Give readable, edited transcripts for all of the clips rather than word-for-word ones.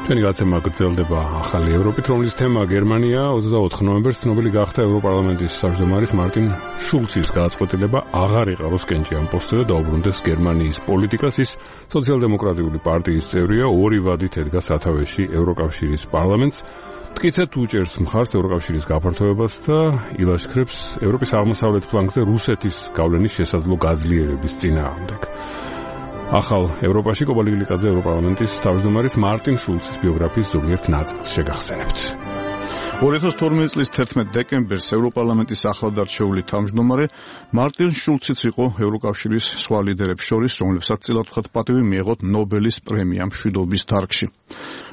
ჩვენი გაცემა გრძელდება ახალი ევროპით, რომლის თემა გერმანია. 24 ნოემბერს ცნობილი გახდა ევროპარლამენტის თავმჯდომარის მარტინ შულცის გადაწყვეტილება აღარ იყაროს კენჭი ამ პოსტზე და დაუბრუნდეს გერმანიის პოლიტიკას. ის სოციალ-დემოკრატიული პარტიის წევრია, ორი ვადით ედგა სათავეში ევროკავშირის პარლამენტს. მტკიცედ უჭერს მხარს ევროკავშირის გაფართოებას და ილაშქრებს ევროპის აღმოსავლეთ ფლანგზე რუსეთის გავლენის შესაძლო გაძლიერების წინააღმდეგ. ახალ ევროპაში კობალიგლიკაძე ევროპარლამენტის თავმჯდომარის მარტინ შულცის ბიოგრაფიის ზოგიერთ ნაწილს შეგახსენებთ. 2012 წლის 11 დეკემბერს ევროპარლამენტის ახლად არჩეული თავმჯდომარე მარტინ შულციც იყო ევროკავშირის სხვა ლიდერებს შორის, რომლებსაც წილად ვთქვათ პატივი მიეღოთ ნობელის პრემია მშვიდობის დარგში.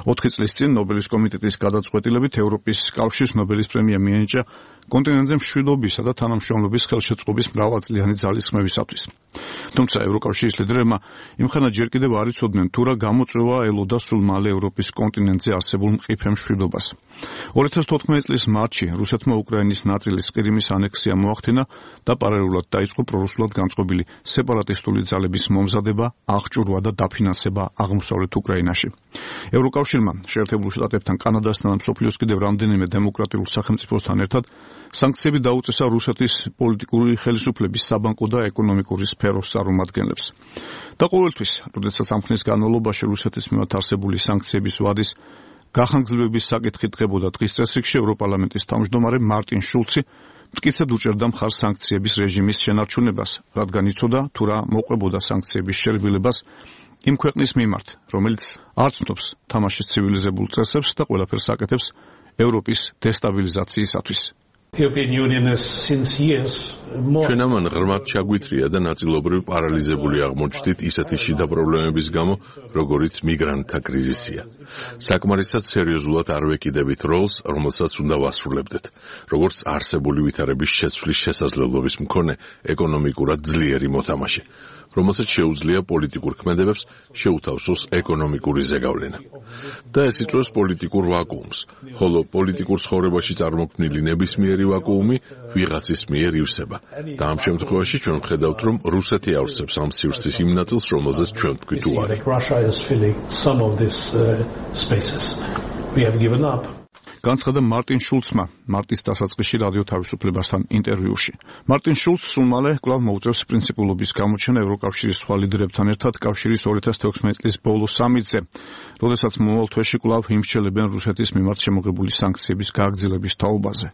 4 წლის წინ ნობელის კომიტეტის გადაწყვეტილებით ევროპის კავშირს ნობელის პრემია მიენიჭა კონტინენტზე მშვიდობისა და თანამშრომლობის ხელშეწყობის მრავალწლიანი ძალისხმევისათვის. თუმცა ევროკავშირის ლიდერებმა იმხანად ჯერ კიდევ არ იცოდნენ თუ რა გამოწვევა ელოდა სულ მალე ევროპის კონტინენტზე არსებულ მყიფე მშვიდობას. 2014 წლის მარტში რუსეთმა უკრაინის ნაწილის ყირიმის ანექსია მოახდინა და პარალელურად დაიწყო პრორუსულად განწყობილი სეპარატისტული ძალების მომზადება, აღჭურვა და დაფინანსება აღმოსავლეთ უკრაინაში. ევროკავშირმა შეერთებულ შტატებთან, კანადასთან და მსოფლიოს კიდევ რამდენიმე დემოკრატიულ სახელმწიფოსთან ერთად სანქციები დაუწესა რუსეთის პოლიტიკური ხელისუფლების საბანკო და ეკონომიკური სფეროს წარმომადგენლებს. და ყოველთვის, როდესაც ამ ხნის განმავლობაში რუსეთის მიმართ არსებული სანქციების ვადის გახანგრძლივების საკითხი დგებოდა დღის წესრიგში, ევროპარლამენტის თავმჯდომარე მარტინ შულცი მტკიცედ უჭერდა მხარს სანქციების რეჟიმის შენარჩუნებას, რადგან იცოდა თუ რა მოყვებოდა სანქციების შერბილებას იმ ქვეყნის მიმართ, რომელიც არ ცნობს თამაშის ცივილიზებულ წესებს და ყველაფერს აკეთებს ევროპის დესტაბილიზაციისათვის. ჩვენ ამან ღრმად ჩაგვითრია და ნაწილობრივ პარალიზებული აღმოჩნდით ისეთი შიდა პრობლემების გამო, როგორიც მიგრანტთა კრიზისია. საკმარისად სერიოზულად არ ვეკიდებით როლს, რომელსაც უნდა ვასრულებდეთ, როგორც არსებული ვითარების შეცვლის შესაძლებლობის მქონე ეკონომიკურად ძლიერი მოთამაშე, რომელსაც შეუძლია პოლიტიკურ ქმედებებს შეუთავსოს ეკონომიკური ზეგავლენა. და ეს იწვევს პოლიტიკურ ვაკუუმს, ხოლო პოლიტიკურ ცხოვრებაში წარმოქმნილი ნებისმიერი ვაკუუმი ვიღაცის მიერ ივსება. და ამ შემთხვევაში ჩვენ ვხედავთ, რომ რუსეთი ავსებს ამ სივრცის იმ ნაწილს, რომელზეც ჩვენ ვთქვით უარი. განცხადა მარტინ შულცმა მარტის დასაწყისში რადიო თავისუფლებასთან ინტერვიუში. მარტინ შულცს სულ მალე კვლავ მოუწევს პრინციპულობის გამოჩენა ევროკავშირის სხვა ლიდერებთან ერთად კავშირის 2016 წლის ბოლო სამიტზე, როდესაც მომავალ თვეში კვლავ იმსჩელებენ რუსეთის მიმართ შემოღებული სანქციების გააგრძელების თაობაზე.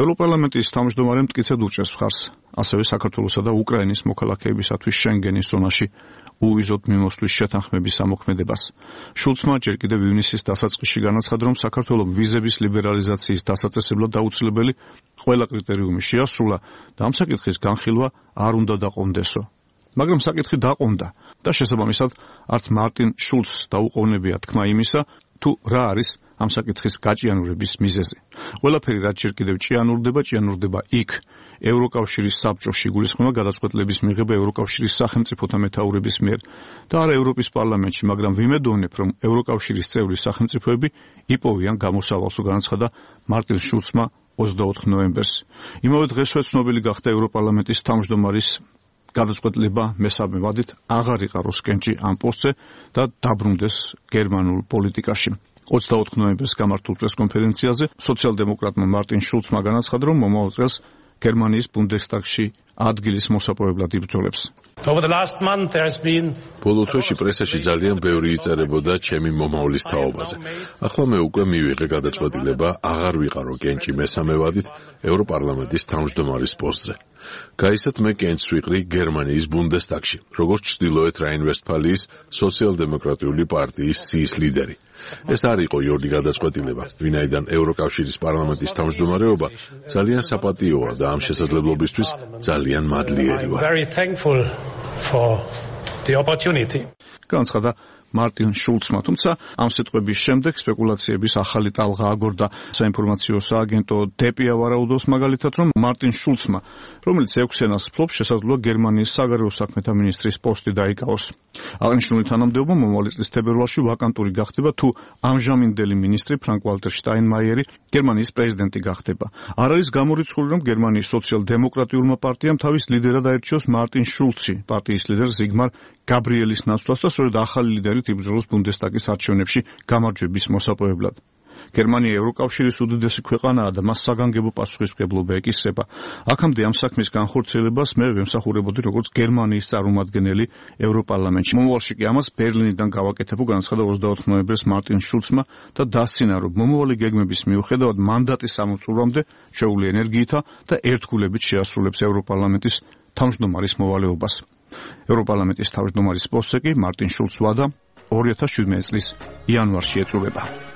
ევროპარლამენტის თავმჯდომარემ მტკიცედ უჭერს მხარს ასევე საქართველოსა და უკრაინის მოქალაქეებისათვის შენგენის ზონაში უვიზოდ მიმოსვლის შეთანხმების ამოქმედებას. შულცმა ჯერ კიდევ ივნისის დასაწყისში განაცხადა, რომ საქართველოს ვიზების ლიბერალიზაციის დასაწესებლად აუცილებელი ყველა კრიტერიუმი შეასრულა და ამ საკითხის განხილვა არ უნდა დაყონდესო. მაგრამ საკითხი დაყონდა და შესაბამისად არც მარტინ შულცს დაუყოვნებია თქმა იმისა, თუ რა არის ამ საკითხის გაჭიანურების მიზეზი. ყველაფერი რაც ჯერ კიდევ ჭიანურდება იქ, ევროკავშირის საბჭოში იგულისხმება გადაწყვეტილების მიღება ევროკავშირის სახელმწიფოთა მეთაურების მიერ და არა ევროპის პარლამენტში, მაგრამ ვიმედოვნებ, რომ ევროკავშირის წევრი სახელმწიფოები იპოვიან გამოსავალს, განაცხადა მარტინ შულცმა 24 ნოემბერს. იმავე დღესვე ცნობილი გახდა ევროპარლამენტის თავმჯდომარის გადაწყვეტილება მესამე ვადით აღარ იყაროს კენჭი ამ პოსტზე და დაბრუნდეს გერმანულ პოლიტიკაში. 24 ნოემბერს გამართულ პრესკონფერენციაზე სოციალ-დემოკრატმა მარტინ შულცმა განაცხადა, რომ მომავალ წელს გერმანიის ბუნდესტაგში ადგილის მოსაპოვებლად იბრძოლებს. ბოლო თვეში პრესაში ძალიან ბევრი იწერებოდა ჩემი მომავლის თაობაზე. ახლა მე უკვე მივიღე გადაწყვეტილება აღარ ვიყარო კენჭი მესამე ვადით ევროპარლამენტის თავმჯდომარის პოსტზე. გაიცეთ, მე კენჭს ვიყრი გერმანიის ბუნდესტაგში, როგორც ჩრდილოეთ რაინ-ვესტფალიის სოციალ-დემოკრატიული პარტიის სიის ლიდერი. ეს არ იყო იოლი გადაწყვეტილება, ვინაიდან ევროკავშირის პარლამენტის თავმჯდომარეობა ძალიან საპატიოა და ამ შესაძლებლობისთვის ძალიან მადლიერი ვარ. განაცხადა მარტინ შულცმა, თუმცა ამ სიტყვების შემდეგ სპეკულაციების ახალი ტალღა აგორდა. საინფორმაციო სააგენტო დეპია ვარაუდობს მაგალითად, რომ მარტინ შულცმა, რომელიც 6 ენას ფლობს, შესაძლოა გერმანიის საგარეო საქმეთა მინისტრის პოსტი დაიკავოს. აღნიშნული თანამდებობა მომავალი წლის თებერვალში ვაკანტური გახდება, თუ ამჟამინდელი მინისტრი ფრანკ-ვალტერ შტაინმაიერი გერმანიის პრეზიდენტი გახდება. არ არის გამორიცხული, რომ გერმანიის სოციალ-დემოკრატიულმა პარტიამ თავის ლიდერად აირჩიოს მარტინ შულცი, პარტიის ლიდერ ზიგმარ გაბრიელის ნაცვლას და სწორედ ახალი ლიდერით იბრძოლოს ბუნდესტაგის არჩევნებში გამარჯვების მოსაპოვებლად. გერმანია ევროკავშირის უდიდესი ქვეყანაა და მას საგანგებო პასუხისმგებლობა ეკისრება. აქამდე ამ საქმის განხორციელებას მე ვემსახურებოდი როგორც გერმანიის წარმომადგენელი ევროპარლამენტში. მომავალში კი ამას ბერლინიდან გავაკეთებო, განაცხადა 24 ნოემბერს მარტინ შულცმა და დასცინა, რომ მომავალი გეგმების მიუხედავად მანდატის სამომწურვამდე შეუძლია ენერგიითა და ერთგულებით შეასრულებს ევროპარლამენტის თავმჯდომარის მოვალეობას. ევროპარლამენტის თავმჯდომარის პოსტზე კი მარტინ შულცს ვადა 2017 წლის იანვარში ეწურება.